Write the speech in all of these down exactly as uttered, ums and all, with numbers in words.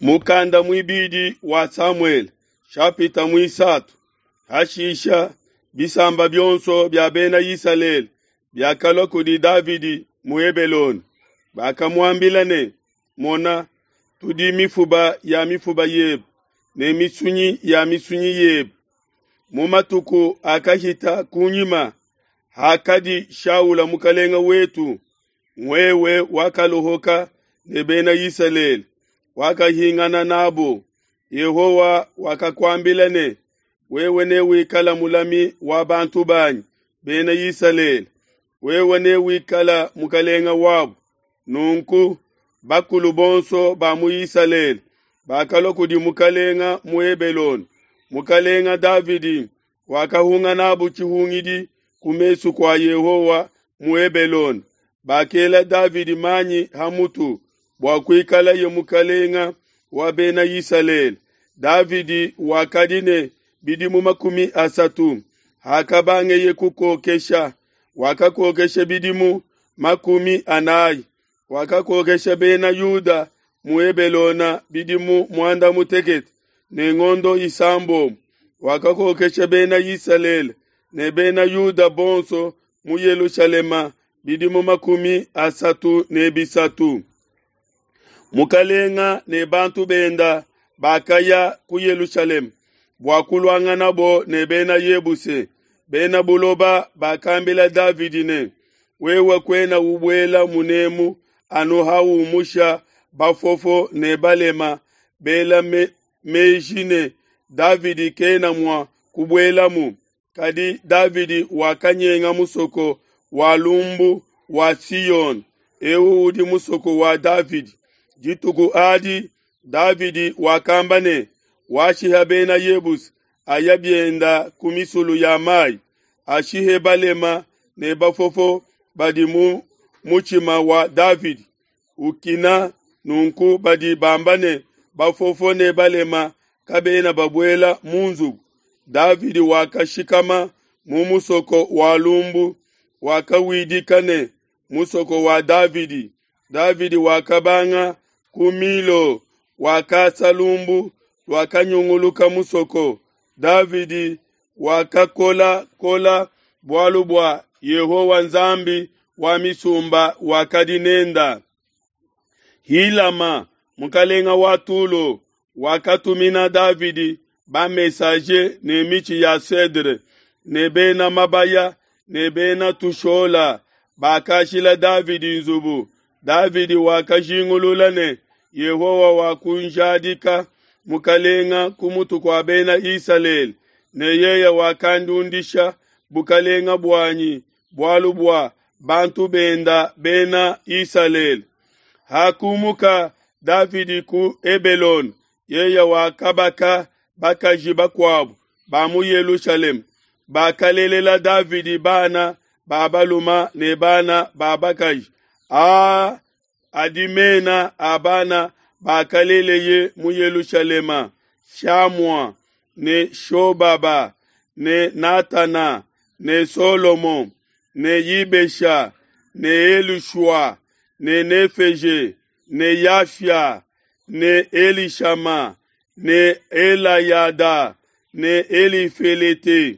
Mukanda muibidi wa Samuele, shapita muisatu. Hashisha bisamba bionso bia Bena Isalele biakalua kudi Davidi mu Hebelone. Bakamuambila ne, Mona, tudi mifuba ya mifuba yebe ne misunyi ya misunyi yebe. Mu matuku akahita kunyima, hakadi Shaula mukelenge wetu, wewe wakaluhuka ne Bena Isalele, wakahingana n'abo. Yehowa wakakuambila ne, Wewe newikale mulami wa bantu banyi Bena Isalele, wewe newikale mukelenge wabo. Nunku bakulu bonso ba mu Isalele bakalua kudi mukelenge mu Hebelone. Mukelenge Davidi wakahunga n'abo tshihungidi ku mesu kua Yehowa mu Hebelone. Bakela Davidi manyi ha mutu bua kuikaleye mukelenge wa Bena Isalele. Davidi wakadi ne bidimu makumi asatu hakabangeye kukokesha, wakakokesha bidimu makumi anai. Wakakokesha Bena Yuda mu Hebelone bidimu muanda mutekete ne ngondo isambombo. Wakakokesha Bena Isalele ne Bena Yuda bonso mu Yelushalema bidimu makumi asatu ne bisatu. Mukalenga ne bantu benda bakaya ku Yelushalema bua kuluanganabo ne Bena Yebuse. Bena buloba bakambila Davidi ne, wewe kuena ubuela munemu anu haumusha bafofo ne balema bela me, meji ne Davidi kena mua kubuelamu. Kadi Davidi wakanyenga musoko wa lumbu wa Siona, eu udi musoko wa Davidi. Dituku adi Davidi wakamba ne, washiha Bena Yebuse aya bienda ku misulu ya mai, ashihe balema ne bafofo badi mu mutshima wa Davidi ukina. Nunku badi bamba ne, bafofo ne balema kabena babuela mu nzubu. Davidi wakashikama mu musoko wa lumbu, wakawidika ne musoko wa Davidi. Davidi wakabanga ku Milo, wakasa lumbu luakanyunguluka musoko. Davidi wakakolakola bualu bua Yehowa Nzambi wa misumba wakadi nenda. Hilama mukalenga wa Tulo wakatumina Davidi ba-messager ne mitshi ya cedre ne bena mabaya ne bena tushola, bakashila Davidi nzubu. Davidi wakajingulula ne, Yehowa wakunjadika mukalenga ku mutu kua Bena Isalele, ne yeye wakandiundisha bukalenga buanyi bualu bua bantu benda Bena Isalele. Hakumuka Davidi ku Hebelone, yeye wakabaka bakaji bakuabu ba mu Yelushalema, bakalelela Davidi bana ba baluma ne bana ba bakaji. Aa adi mena a bana bakaleleye mu Yelushalema: Shamua ne Shobaba ne Natana ne Solomo ne Yibesha ne Elishua ne Nefeje ne Yafia ne Elishama ne Elayada ne Elifelete.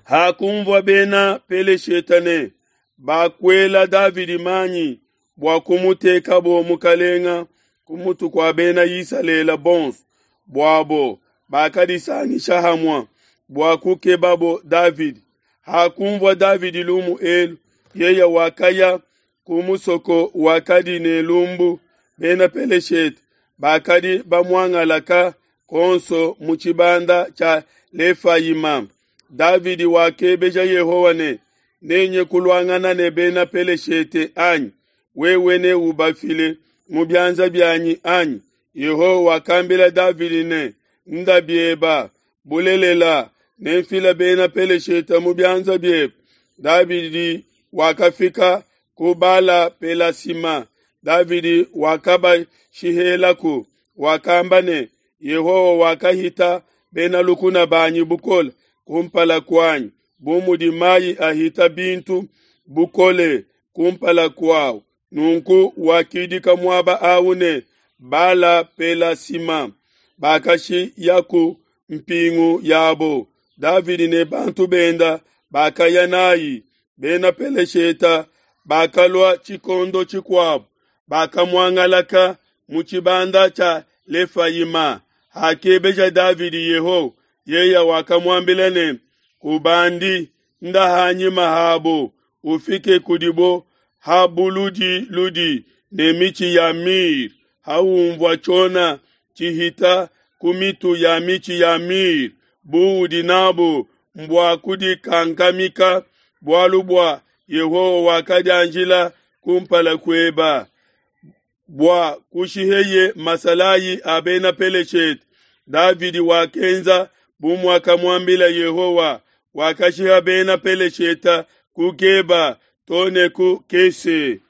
Hakunvua Bena Peleshete ne bakuela Davidi manyi bua kumutekabo mukalenga ku mutu kua Bena Isalele bonso, buabo bakadisangisha hamue bua kukebabo Davidi. Hakunvua Davidi lumu elu, yeye wakaya ku musoko wakadi ne lumbu. Bena Peleshete bakadi bamuangalaka konso mu tshibanda tshia Lefayima. Davidi wakebeja Yehowa ne, nenye kuluangana ne Bena Peleshete anyi? Wewe neubafile mu bianza bianyi anyi? Yehowa wakambila Davidi ne, nda bieba, bulelela nemfile Bena Peleshete mu bianza biebe. Davidi wakafika ku Bala Pelasima. Davidi wakabashihelaku, wakamba ne, Yehowa wakahita bena lukuna banyi bukole kumpala kuanyi, bu mudi mai ahita bintu bukole kumpala kuau. Nunku wakidika muaba au ne Bala-pelasima, bakashiyaku mpingu yabo. Davidi ne bantu benda bakaya nayi. Bena Pelesheta bakalua tshikondo tshikuabo, bakamuangalaka mu tshibanda tshia Lefayima. Hakebeja Davidi Yehowa, yeye wakamuambila ne, Kubandi, nda ha nyima habo, ufike kudibo ha buludiludi ne mitshi ya myrrhe, haunvua tshiona tshihita ku mitu ya mitshi ya myrrhe, buudi n'abu mbua kudikankamika, bualu bua Yehowa wakadianjila ku mpala kueba bua kushiheye masalayi a Bena Peleshete. Davidi wakenza bu muakamuambila Yehowa, wakashiha Bena Peleshete ku Geba to ne ku Kese.